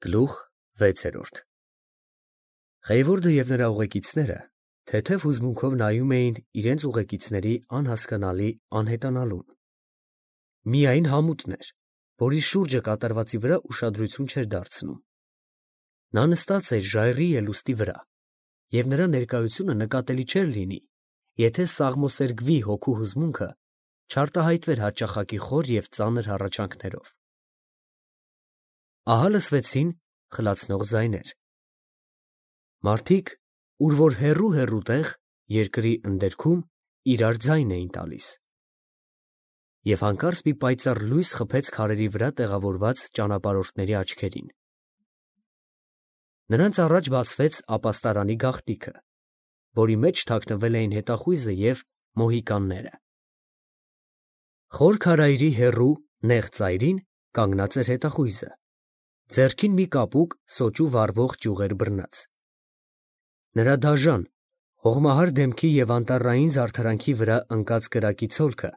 Գլուխ 6 Խեյվորդը և նրա ուղեկիցները թեթև հուզմունքով նայում էին իրենց ուղեկիցների անհասկանալի անհետանալուն. միայն համուտն էր, որի շուրջը կատարվածի վրա ուշադրություն չէր դարձնում. նա նստած էր ժայռի ելուստի վրա, և նրա ներկայությունը նկատելի չէր լինի, եթե սաղմոսերգվի հոգու հուզմունքը չարտահայտվեր հաճախակի խոր և ծանր հառաչանքներով։ Ահա լսվեցին խլացնող ձայներ. մարդիկ, ուր որ հեռու տեղ, երկրի ընդերքում, իրար ձայն էին տալիս, և հանկարծ մի պայծառ լույս խփեց քարերի վրա տեղավորված ճանապարհորդների աչքերին. նրանց առաջ բացվեց ապաստարանի գաղտնիքը, որի մեջ թաքնվել էին հետախույզը և մոհիկանները։ Խոր քարայրի հեռու նեղ ծայրին կանգնած էր հետախույզը, ձեռքին մի կապուկ սոճու վառվող ճյուղեր բռնած։ Նրա դաժան, հողմահար դեմքի և անտառային զարդարանքի վրա ընկած կրակի ցոլքը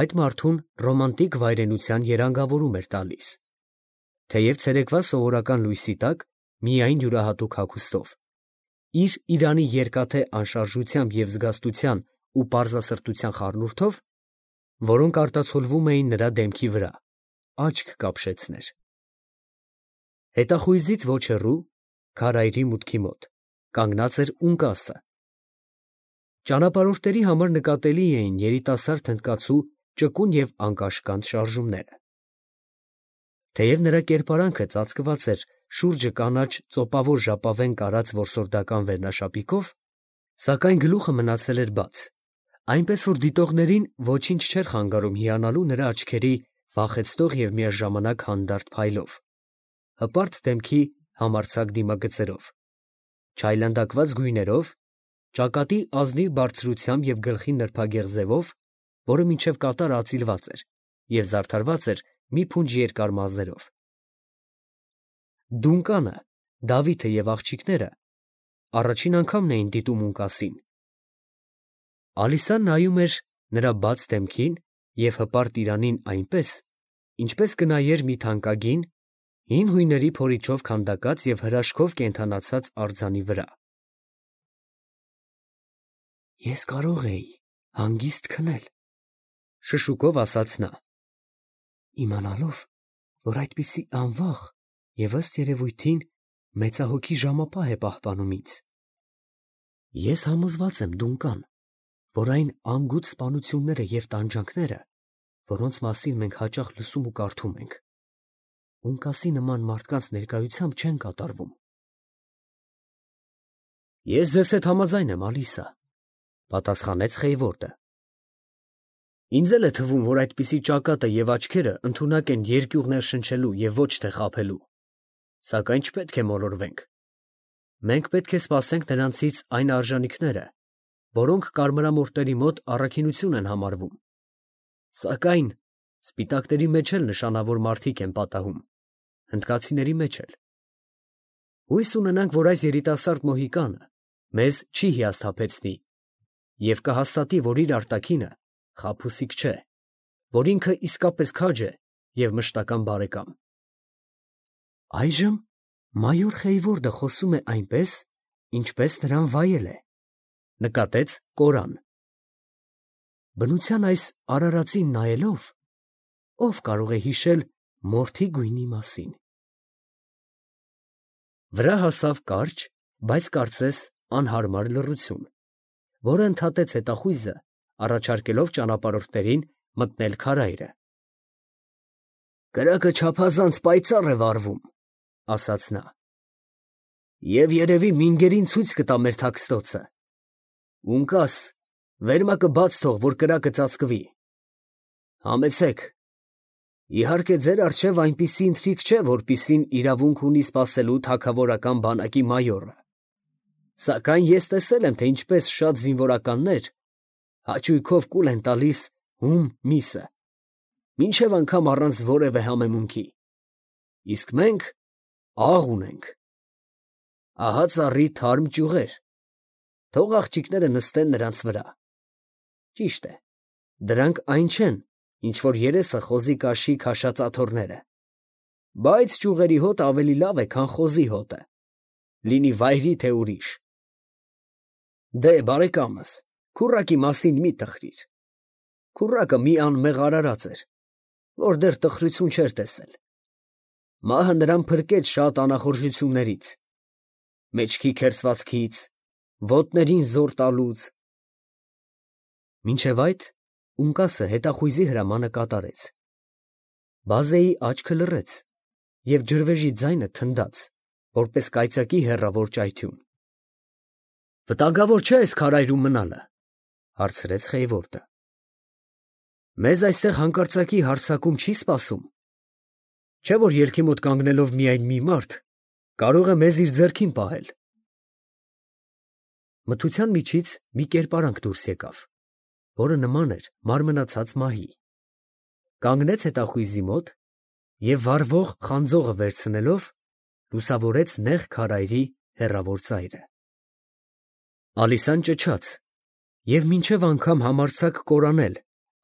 այդ մարդուն ռոմանտիկ վայրենության երանգավորում էր տալիս, թեև ցերեկվա սովորական լույսի տակ միայն յուրահատուկ հագուստով, իր իրանի երկաթե անշարժությամբ և զգաստության ու պարզասրտության խառնուրդով, որոնք արտացոլվում էին նրա դեմքի վրա, աչք կապշեցներ։ Հետախույզից ոչ հեռու, քարայրի մուտքի մոտ, կանգնած էր ունկասը։ Ճանապարհորդների համար նկատելի էին երիտասարդ հնդկացու ճկուն և անկաշկանդ շարժումները։ Թեև նրա կերպարանքը ծածկված էր շուրջը կանաչ ծոպավոր ժապավեն կարած որսորդական վերնաշապիկով, սակայն գլուխը մնացել էր բաց, այնպես որ դիտողներին ոչինչ չէր խանգարում հիանալու նրա աչքերի վախեցնող և միաժամանակ հանդարտ փայլով, հպարտ դեմքի համարձակ դիմագծերով, չայլանդակված գույներով, ճակատի ազնիվ բարձրությամբ և գլխի նրբագեղ ձևով, որը մինչև կատարը ածիլված էր և զարդարված էր մի փունջ երկար մազերով։ Դունկանը, Դավիթը և աղջիկները առաջին անգամն էին դիտում ունկասին։ Ալիսան նայում էր նրա բաց դեմքին և հպարտ իրանին այնպես, ինչպես կնայեր մի թանկագին, հին հույների փորիչով քանդակած և հրաշքով կենդանացած արձանի վրա։ «Ես կարող էի հանգիստ քնել, ֊ շշուկով ասաց նա, ֊ իմանալով, որ այդպիսի անվաղ և ըստ երևույթին մեծահոգի ժամապահ է պահպանում ինձ։ Ես համոզված եմ, Դունկան, որ այն անգութ սպանությունները և տանջանքները, որոնց մասին մենք հաճախ լսում ու կարդում ենք, ունկասի նման մարդկանց ներկայությամբ չեն կատարվում»։ «Ես ձեզ հետ համաձայն եմ, Ալիսա, ֊ պատասխանեց Խեյվորդը. ֊ ինձ էլ է թվում, որ այդպիսի ճակատը և աչքերը ընդունակ են երկյուղներ շնչելու և ոչ թե խաբելու, սակայն չպետք է մոլորվենք. մենք պետք է սպասենք նրանցից այն արժանիքները, որոնք կարմրամորթերի մոտ առաքինություն են համարվում, սակայն սպիտակների մեջ էլ նշանավոր մարդիկ են պատահում, հնդկացիների մեջ էլ։ Հույս ունենանք, որ այս երիտասարդ մոհիկանը մեզ չի հիասթափեցնի և կհաստատի, որ իր արտաքինը խաբուսիկ չէ, որ ինքը իսկապես քաջ է և մշտական բարեկամ։ Այժմ մայոր Խեյվորդը խոսում է այնպես, ինչպես նրան վայել է, ֊ նկատեց Կորան. ֊ բնության այս արարածին նայելով, ո՞վ կարող է հիշել մորթի գույնի մասին։ Վրա հասավ կարճ, բայց կարծես անհարմար լռություն, որը ընդհատեց հետախույզը, առաջարկելով ճանապարհորդներին մտնել քարայրը։ «Կրակը չափազանց պայծառ է վառվում, ֊ ասաց նա, ֊ և երևի մինգերին ցույց կտա մեր թաքստոցը։ Ունկաս, վերմակը բաց թող, որ կրակը ծածկվի։ Համեցեք, իհարկե ձեր առջև այնպիսի ընթրիք չէ, որպիսին իրավունք ունի սպասելու թագավորական բանակի մայորը, սակայն ես տեսել եմ, թե ինչպես շատ զինվորականներ հաճույքով կուլ են տալիս հում միսը, մինչև անգամ առանց որևէ համեմունքի, իսկ մենք աղ ունենք։ Ահա ծառի թարմ ճյուղեր, թող աղջիկները նստեն նրանց վրա։ Ճիշտ է, դրանք այն չեն, ինչ որ երեսը խոզի կաշի քաշած աթոռները, բայց ճյուղերի հոտը ավելի լավ է, քան խոզի հոտը, լինի վայրի թե ուրիշ։ Դե, բարեկամս, քուռակի մասին մի տխրիր։ Քուռակը մի անմեղ արարած էր, որ դեռ տխրություն չէր տեսել։ Մահը նրան փրկեց շատ անախորժություններից, մեջքի քերծվածքից, ոտներին զոր տալուց։ Մինչև այդ Ունկասը հետախույզի հրամանը կատարեց։ Բազեի աչքը լռեց, և ջրվեժի ձայնը թնդաց, որպես կայծակի հեռավոր ճայթյուն։ «Վտանգավոր չէ այս քարայրում մնալը», ֊ հարցրեց Խեյվորդը։ «Մեզ այստեղ հանկարծակի հարձակում չի սպասում, չէ՞ որ ելքի մոտ կանգնելով միայն մի մարդ կարող է մեզ իր ձեռքին պահել»։ Մթության միջից մի կերպարանք դուրս եկավ, որը նման էր մարմնացած մահի, կանգնեց հետախույզի մոտ և վառվող խանձողը վերցնելով լուսավորեց նեղ քարայրի հեռավոր ծայրը։ Ալիսան ճչաց և մինչև անգամ համարձակ կորանել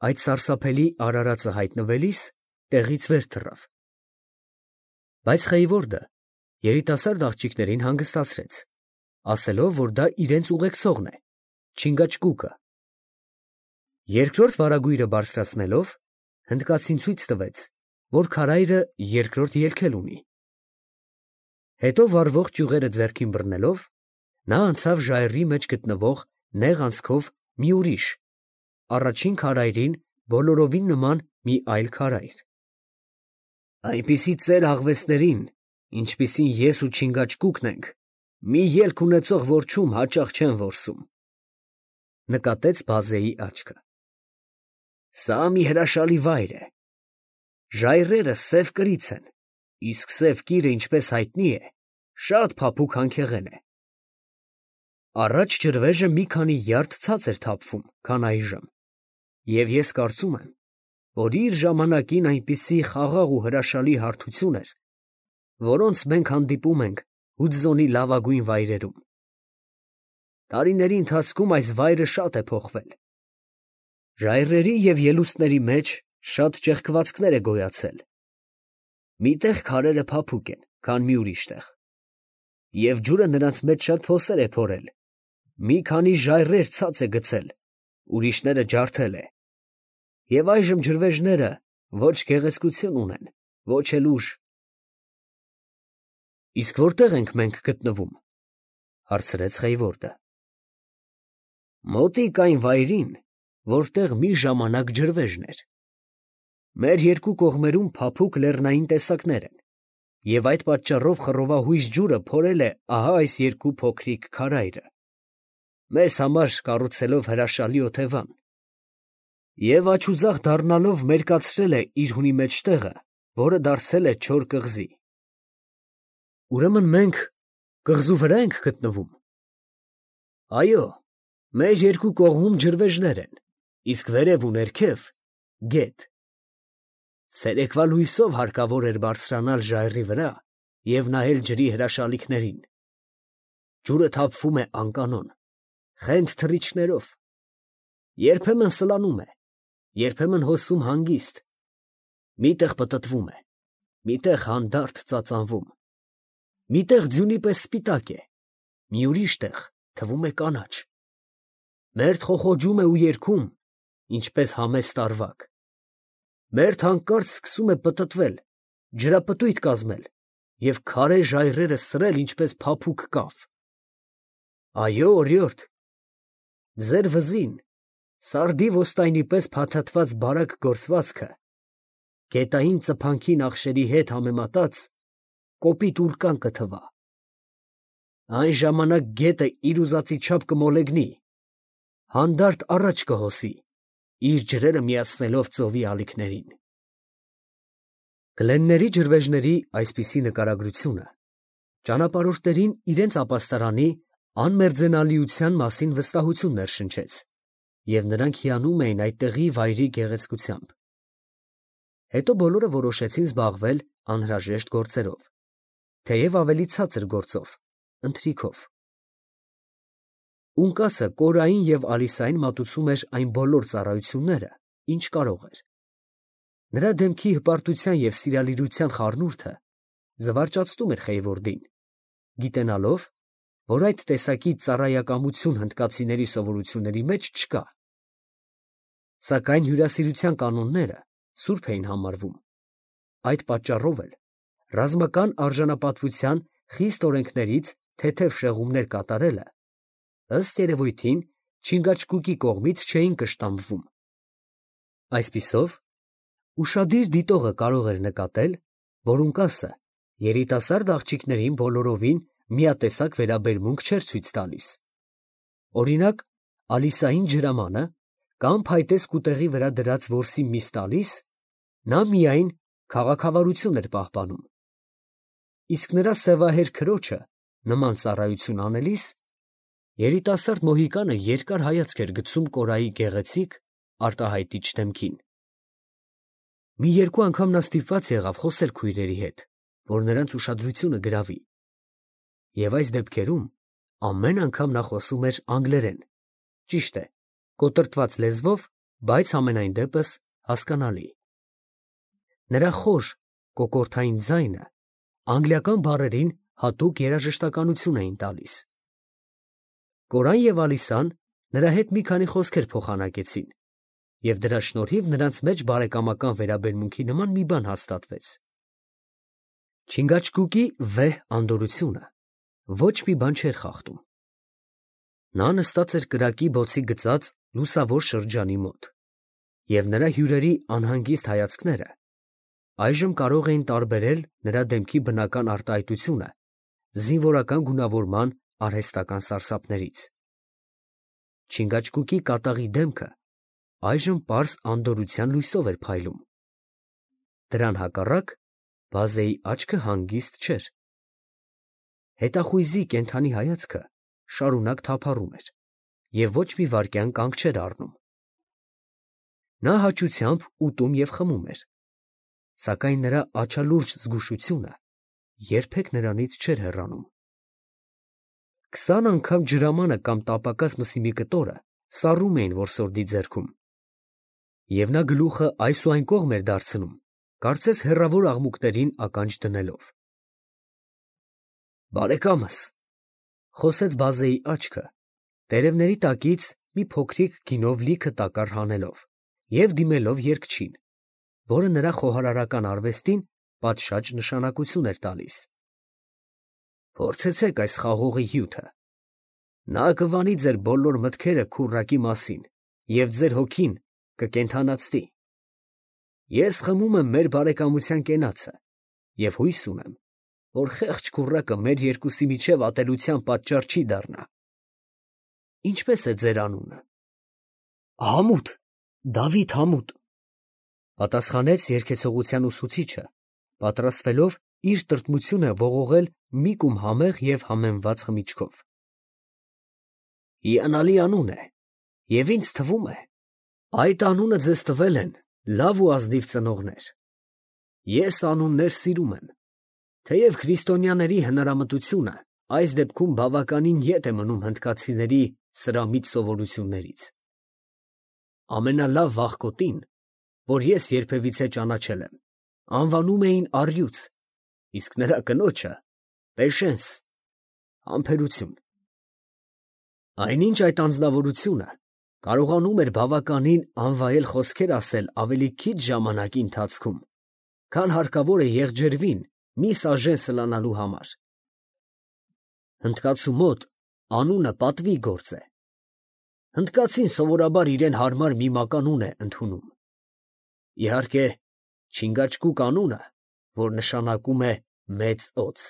այդ սարսափելի արարածը հայտնվելիս տեղից վեր թռավ։ Բայց Խեյվորդը երիտասարդ աղջիկներին հանգստացրեց, ասելով, որ դա իրենց ուղեկցողն է, Չինգաչգուկը։ Երկրորդ վարագույրը բարձրացնելով, հնդկացին ցույց տվեց, որ քարայրը երկրորդ ելք էլ ունի։ Հետո վառվող ճյուղերը ձեռքին բռնելով, նա անցավ ժայռի մեջ գտնվող նեղ անցքով մի ուրիշ, առաջին քարայրին բոլորովին նման մի այլ քարայր։ «Այնպիսի ծեր աղվեսներին, ինչպիսին ես ու Չինգաչգուկն ենք, մի ելք ունեցող որջում հաճախ չեն որսում», ֊ նկատեց Բազեի աչքը։ «Սա մի հրաշալի վայր է։ Ժայռերը սև կրից են, իսկ սև կիրը, ինչպես հայտնի է, շատ փափուկ հանքեղեն է։ Առաջ ջրվեժը մի քանի յարդ ցած էր թափվում, քան այժմ, և ես կարծում եմ, որ իր ժամանակին այնպիսի խաղաղ ու հրաշալի հարթություն էր, որոնց մենք հանդիպում ենք Հուդզոնի լավագույն վայրերում։ Տարիների ընթացքում այս վայրը շատ է փոխվել։ Ժայռերի և ելուստների մեջ շատ ճեղքվածքներ է գոյացել։ Մի տեղ քարերը փափուկ են, քան մի ուրիշ տեղ, և ջուրը նրանց մեջ շատ փոսեր է փորել, մի քանի ժայռեր ցած է գցել, ուրիշները ջարդել է, և այժմ ջրվեժները ոչ գեղեցկություն ունեն, ոչ էլ ուժ»։ «Իսկ որտե՞ղ ենք մենք գտնվում», ֊ հարցրեց Խեյվորդը։ «Մոտիկ այն վայրին, որտեղ մի ժամանակ ջրվեժն էր։ Մեր երկու կողմերում փափուկ լեռնային տեսակներ են, և այդ պատճառով խռովահույժ ջուրը փորել է ահա այս երկու փոքրիկ քարայրը, մեզ համար կառուցելով հրաշալի օթևան, և աջուձախ դառնալով մերկացրել է իր հունի մեջտեղը, որը դարձել է չոր կղզի»։ «Ուրեմն մենք կղզու վրա ենք գտնվում»։ «Այո, մեր երկու կողմում ջրվեժներ են, իսկ վերև ու ներքև՝ գետ։ Ցերեկվա լույսով հարկավոր էր բարձրանալ ժայռի վրա և նայել ջրի հրաշալիքներին։ Ջուրը թափվում է անկանոն, խենթ թռիչքներով, երբեմն սլանում է, երբեմն հոսում հանգիստ, մի տեղ պտտվում է, մի տեղ հանդարտ ծածանվում, մի տեղ ձյունի պես սպիտակ է, մի ուրիշ տեղ թվում է կանաչ, մերթ խոխոջում է ու երգում, ինչպես համեստ ավագ, մերթ հանկարծ սկսում է պտտվել, ջրապտույտ կազմել և քարե ժայռերը սրել, ինչպես փափուկ կավ։ Այո, օրիորդ, ձեր վզին, սարդի ոստայնի պես փաթաթված բարակ գործվածքը, գետային ծփանքի նախշերի հետ համեմատած, կոպիտ ուռկան կթվա։ Այն ժամանակ գետը իր ուզածի չափ կմոլեգնի, հանդարտ առաջ կհոսի, իր ջրերը միացնելով ծովի ալիքներին»։ Գլենների ջրվեժների այսպիսի նկարագրությունը ճանապարհորդներին իրենց ապաստարանի անմերձենալիության մասին վստահություն ներշնչեց, և նրանք հիանում էին այդ տեղի վայրի գեղեցկությամբ։ Հետո բոլորը որոշեցին զբաղվել անհրաժեշտ գործերով, թեև ավելի ցածր գործով, ընթրիքով։ Ունկասը Կորային և Ալիսային մատուցում էր այն բոլոր ծառայությունները, ինչ կարող էր։ Նրա դեմքի հպարտության և սիրալիրության խառնուրդը զվարճացնում էր Խեյվորդին, գիտենալով, որ այդ տեսակի ծառայակամություն հնդկացիների սովորությունների մեջ չկա։ Սակայն հյուրասիրության կանոնները սուրբ էին համարվում։ Այդ պատճառով էլ ռազմական արժանապատվության խիստ օրենքներից թեթև շեղումներ կատարելը, ըստ երևույթին, Չինգաչգուկի կողմից չէին կշտամբվում։ Այսպիսով, ուշադիր դիտողը կարող էր նկատել, որ Ունկասը երիտասարդ աղջիկներին բոլորովին միատեսակ վերաբերմունք չէր ցույց տալիս։ Օրինակ, Ալիսային ջրամանը կամ փայտե սկուտեղի վրա դրած որսի միս տալիս, նա միայն քաղաքավարություն էր պահպանում։ Իսկ նրա սևահեր քրոջը նման ծառայություն անելիս, երիտասարդ մոհիկանը երկար հայացք էր գցում Կորայի գեղեցիկ, արտահայտիչ դեմքին։ Մի երկու անգամ նա ստիպված եղավ խոսել քույրերի հետ, որ նրանց ուշադրությունը գրավի, և այս դեպքերում ամեն անգամ նա խոսում էր անգլերեն, ճիշտ է, կոտրտված լեզվով, բայց համենայն դեպս հասկանալի։ Նրա խոր կոկորդային ձայնը անգլիական բառերին հատուկ երաժշտականություն էին տալիս։ Կորան և Ալիսան նրա հետ մի քանի խոսքեր փոխանակեցին, և դրա շնորհիվ նրանց մեջ բարեկամական վերաբերմունքի նման մի բան հաստատվեց։ Չինգաչգուկի վեհ անդորրությունը ոչ մի բան չէր խախտում։ Նա նստած էր կրակի բոցի գծած լուսավոր շրջանի մոտ, և նրա հյուրերի անհանգիստ հայացքները այժմ կարող էին տարբերել նրա դեմքի բնական արտահայտությունը զինվորական գունավորման արհեստական սարսափներից։ Չինգաչգուկի կատաղի դեմքը այժմ պարզ անդորրության լույսով էր փայլում։ Դրան հակառակ բազեի աչքը հանգիստ չէր։ Հետախույզի կենդանի հայացքը շարունակ թափառում էր և ոչ մի վայրկյան կանգ չէր առնում։ Նա հաճությամբ ուտում և խմում էր, սակայն նրա աչալուրջ զգուշությունը երբեք նրանից չէր հեռանում։ 20 անգամ ջրամանը կամ տապակած մսի մի կտորը սառում էին որսորդի ձեռքում, և նա գլուխը այս ու այն կողմ էր դարձնում, կարծես հեռավոր աղմուկներին ականջ դնելով։ «Բարեկամս», ֊ խոսեց բազեի աչքը, տերևների տակից մի փոքրիկ գինով լիքը տակառ հանելով և դիմելով երգչին, որը նրա խոհարարական արվեստին պատշաճ նշանակություն էր տալիս։ «Փորձեցեք այս խաղողի հյութը. նա կվանի ձեր բոլոր մտքերը քուռակի մասին և ձեր հոգին կկենդանացնի։ Ես խմում եմ մեր բարեկամության կենացը և հույս ունեմ, որ խեղճ քուռակը մեր երկուսի միջև ատելության պատճառ չի դառնա։ Ինչպե՞ս է ձեր անունը»։ «Համուտ, Դավիթ Համուտ», ֊ պատասխանեց երգեցողության ուսուցիչը, պատրաստվելով իր տրտմությունը ողողել մի կում համեղ և համեմված խմիչքով։ «Հիանալի անուն է, և ինձ թվում է, այդ անունը ձեզ տվել են լավ ու ազնիվ ծնողներ։ Ես անուններ սիրում եմ, թեև քրիստոնյաների հնարամտությունը այս դեպքում բավականին ետ է մնում հնդկացիների սրամիտ սովորություններից։ Ամենալավ վախկոտին, որ ես երբևիցե ճանաչել եմ, անվանում էին առյուծ, իսկ նրա կնոջը Պեշենս, համբերություն։ Այնինչ այդ անձնավորությունը կարողանում էր բավականին անվայել խոսքեր ասել ավելի քիչ ժամանակի ընթացքում, քան հարկավոր է եղջերվին մի սաժեն սլանալու համար։ Հնդկացու մոտ անունը պատվի գործ է։ Հնդկացին սովորաբար իրեն հարմար մի մականուն է ընդունում։ Իհարկե, Չինգաչգուկ անունը, որ նշանակում է մեծ օձ,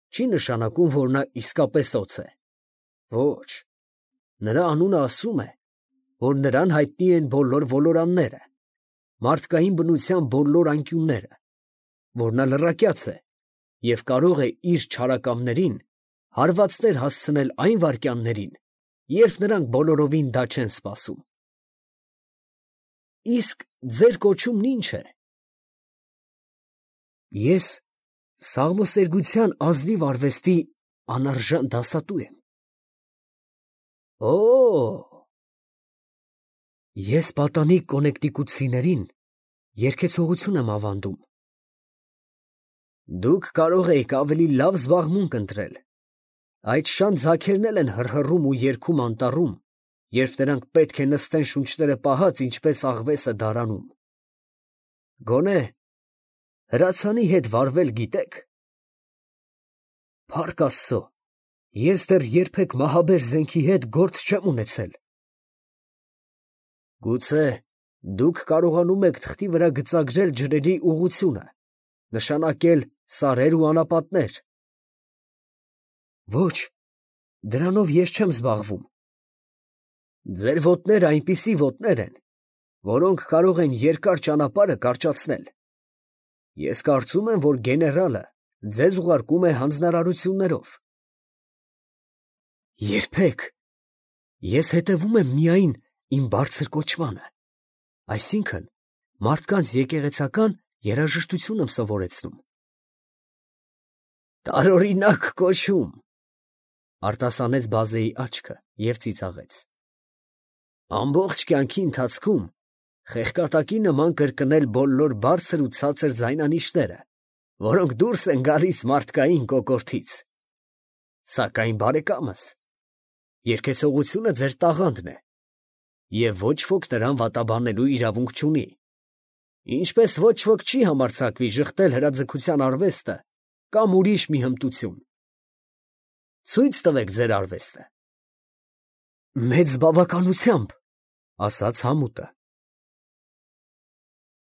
չի նշանակում, որ նա իսկապես օձ է։ Ոչ, նրա անունը ասում է, որ նրան հայտնի են բոլոր ոլորանները, մարդկային բնության բոլոր անկյունները, որ նա լռակյաց է և կարող է իր չարակամներին հարվածներ հասցնել այն վայրկյաններին, երբ նրանք բոլորովին դա չեն սպասում։ Իսկ ձեր կոչումն ի՞նչ է։ Ես սաղմոսերգության ազնիվ արվեստի անարժան դասատու եմ։ Օ՜։ Ես պատանի կոնեկտիկուտցիներին Երգեցողություն եմ ավանդում։ Դուք կարող էիք ավելի լավ զբաղմունք ընտրել։ Այդ շան ձագերն էլ են հռհռում ու երգում անտառում, երբ նրանք պետք է նստեն շունչները պահած, ինչպես աղվեսը դարանում։ Գոնե հրացանի հետ վարվել գիտեք։ Փառք Աստծո, ես դեռ երբեք մահաբեր զենքի հետ գործ չեմ ունեցել։ Գուցե դուք կարողանում եք թղթի վրա գծագրել ջրերի ուղղությունը, նշանակել սարեր ու անապատներ։ Ոչ, դրանով ես չեմ զբաղվում։ Ձեր ոտները այնպիսի ոտներ են, որոնք կարող են երկար ճանապարհը կարճացնել։ Ես կարծում եմ, որ գեներալը ձեզ ուղարկում է հանձնարարություններով։ Երբեք։ Ես հետևում եմ միայն իմ բարձր կոչմանը, այսինքն մարդկանց եկեղեցական երաժշտություն եմ սովորեցնում։ Տարօրինակ կոչում, արտասանեց Բազեի աչքը և ծիծաղեց։ Ամբողջ կյանքի ընթացքում խեղկատակի նման կրկնել բոլոր բարձր ու ցածր ձայնանիշները, որոնք դուրս են գալիս մարդկային կոկորդից։ Սակայն բարեկամս, երգեցողությունը ձեր տաղանդն է, և ոչ ոք նրան վատաբանելու իրավունք չունի, ինչպես ոչ ոք չի համարձակվի ժխտել հրաձգության արվեստը կամ ուրիշ մի հմտություն։ Ցույց տվեք ձեր արվեստը։ Մեծ բավականությամբ, ասաց համուտը։